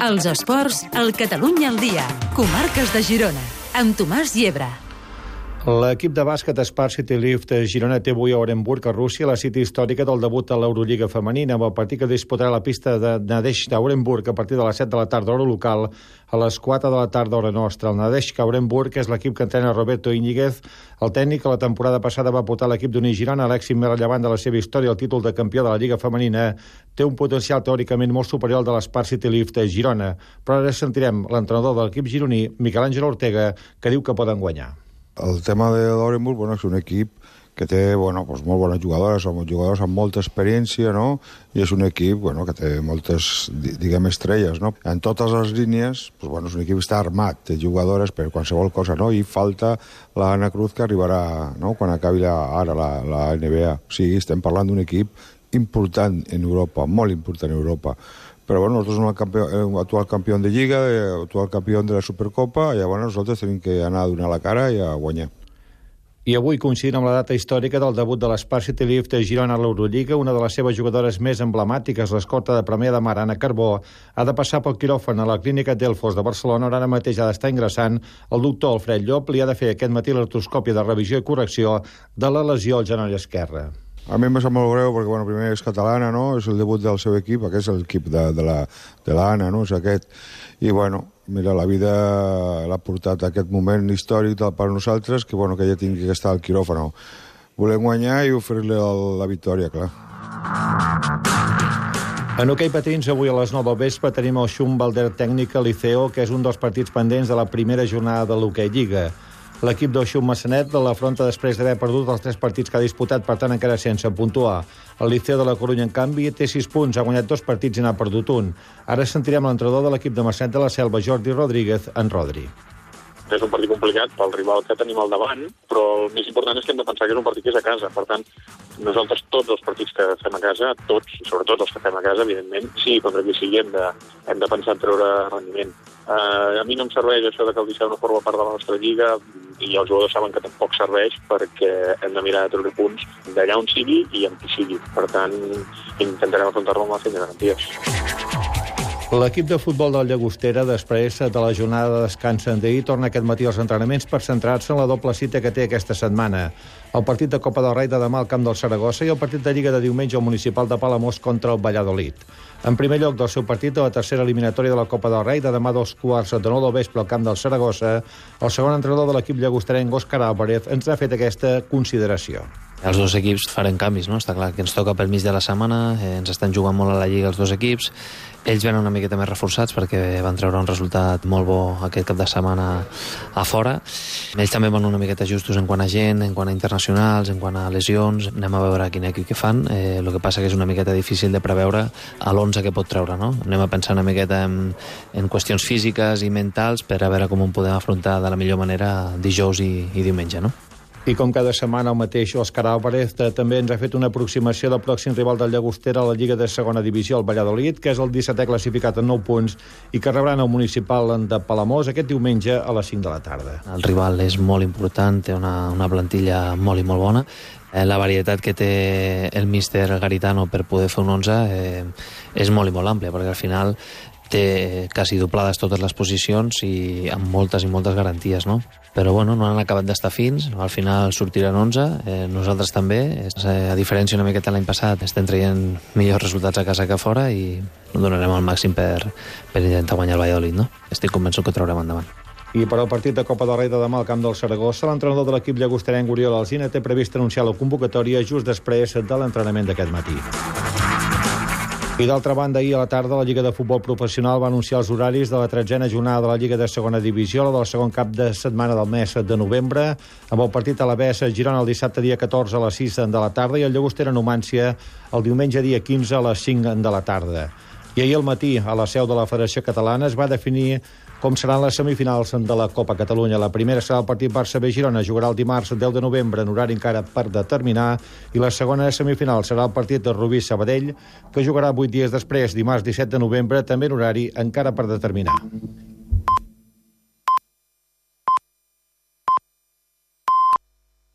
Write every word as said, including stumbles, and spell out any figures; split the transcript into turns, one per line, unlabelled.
Els esports, al Catalunya al dia. Comarques de Girona, amb Tomàs Llebre.
L'equip de bàsquet Spar City Lift Girona té avui a Orenburg, a Rússia, la cita històrica del debut a l'Eurolliga femenina, amb el partit que disputarà la pista de Nadezhd d'Orenburg a partir de les set de la tarda, hora local, a les quatre de la tarda, hora nostra. El Nadezhd Orenburg és l'equip que entrena Roberto Íñiguez. El tècnic que la temporada passada va portar l'equip d'Uni Girona a l'èxit més rellevant de la seva història, el títol de campió de la Lliga femenina, té un potencial teòricament molt superior al de l'Spar City Lift Girona. Però ara sentirem l'entrenador de l'equip gironí, Miquel Àngel Ortega, que diu que poden guanyar.
El tema de l'Orenburg, bueno, és un equip que té, bueno, pues molt bones jugadores, són jugadors amb molta experiència, no? I és un equip, bueno, que té moltes, diguem, estrelles, no? En totes les línies, pues, bueno, és un equip que està armat, té jugadores per qualsevol cosa, no? I falta l'Anna Cruz, que arribarà, no?, quan acabi la, ara la, la N B A. O sigui, estem parlant d'un equip important en Europa, molt important en Europa. Però bueno, nosaltres som el campió, actual campió de Lliga, actual campió de la Supercopa, i llavors nosaltres tenim que anar a donar la cara i a guanyar.
I avui, coincidint amb la data històrica del debut de l'Spar City Lift Girona a l'Eurolliga, una de les seves jugadores més emblemàtiques, l'escorta de Premià de Mar, Anna Carbó, ha de passar pel quiròfan a la clínica Delfos de Barcelona, on ara mateix ha d'estar ingressant el doctor Alfred Llop. Li ha de fer aquest matí l'artroscòpia de revisió i correcció de la lesió al genoll esquerre.
A mi em sap molt greu perquè, bueno, primer és catalana, no? És el debut del seu equip, aquest és l'equip de, de la de l'Anna, no? És aquest. I, bueno, mira, la vida l'ha portat a aquest moment històric per a nosaltres, que, bueno, que ella tingui que estar al quiròfano. Volem guanyar i oferir-li la victòria, clar.
En hoquei patins, avui a les nou del vespre tenim el Schumbalder Tècnica Liceo, que és un dels partits pendents de la primera jornada de l'hoquei Lliga. L'equip del Xum Massanet l'afronta després d'haver perdut els tres partits que ha disputat, per tant encara sense puntuar. El Liceo de la Corunya, en canvi, té sis punts, ha guanyat dos partits i n'ha perdut un. Ara sentirem l'entrenador de l'equip de Massanet de la Selva, Jordi Rodríguez, en Rodri.
És un partit complicat pel rival que tenim al davant, però el més important és que hem de pensar que és un partit que és a casa. Per tant, nosaltres tots els partits que fem a casa, tots, i sobretot els que fem a casa, evidentment, sí, contra qui sigui hem de, hem de pensar en treure rendiment. Uh, a mi no em serveix això de que el Liceu no forma part de la nostra lliga, i els jugadors saben que tampoc serveix, perquè hem de mirar de treure punts d'allà on sigui i amb qui sigui. Per tant, intentarem afrontar-lo amb la feina de garanties.
L'equip de futbol del Llagostera, després de la jornada de descans d'ahir, torna aquest matí als entrenaments per centrar-se en la doble cita que té aquesta setmana. El partit de Copa del Rei de demà al camp del Saragossa i el partit de Lliga de diumenge al Municipal de Palamós contra el Valladolid. En primer lloc del seu partit de la tercera eliminatòria de la Copa del Rei de demà dos quarts de nou del vespre al camp del Saragossa, el segon entrenador de l'equip llagosterenc, Òscar Álvarez, ens ha fet aquesta consideració.
Els dos equips farem canvis, no? Està clar que ens toca pel mig de la setmana, eh, ens estan jugant molt a la Lliga els dos equips. Ells venen una miqueta més reforçats perquè van treure un resultat molt bo aquest cap de setmana a fora. Ells també van una miqueta justos en quant a gent, en quant a internacionals, en quant a lesions. Anem a veure quin equip que fan. Eh, el que passa que és una miqueta difícil de preveure a l'onze que pot treure, no? Anem a pensar una miqueta en, en qüestions físiques i mentals per a veure com ho podem afrontar de la millor manera dijous i, i diumenge, no?
I com cada setmana el mateix Òscar Álvarez també ens ha fet una aproximació del pròxim rival del Llagostera a la Lliga de segona divisió, el Valladolid, que és el dissetè classificat en nou punts i que rebran el Municipal de Palamós aquest diumenge a les cinc de la tarda.
El rival és molt important, té una, una plantilla molt i molt bona. Eh, la varietat que té el míster Garitano per poder fer un onze eh, és molt i molt àmplia, perquè al final té quasi doblades totes les posicions i amb moltes i moltes garanties, no? Però bueno, no han acabat d'estar fins, al final sortiran onze, eh, nosaltres també, eh, a diferència una miqueta l'any passat, estem traient millors resultats a casa que a fora i donarem el màxim per, per intentar guanyar el Valladolid, no? Estic convençut que ho traurem endavant.
I per al partit de Copa del Rei de demà al camp del Saragossa, l'entrenador de l'equip llagosterenc Oriol Alsina té previst anunciar la convocatòria just després de l'entrenament d'aquest matí. I d'altra banda, ahir a la tarda la Lliga de Futbol Professional va anunciar els horaris de la tretzena jornada de la Lliga de segona divisió, la del segon cap de setmana del mes de novembre, amb el partit a la B E S a Girona el dissabte dia catorze a les sis de la tarda i el Llagostera Numància el diumenge dia quinze a les cinc de la tarda. I ahir al matí, a la seu de la Federació Catalana, es va definir com seran les semifinals de la Copa Catalunya. La primera serà el partit Barça B Girona, jugarà el dimarts deu de novembre en horari encara per determinar, i la segona semifinal serà el partit de Rubí Sabadell, que jugarà vuit dies després, dimarts disset de novembre, també en horari encara per determinar.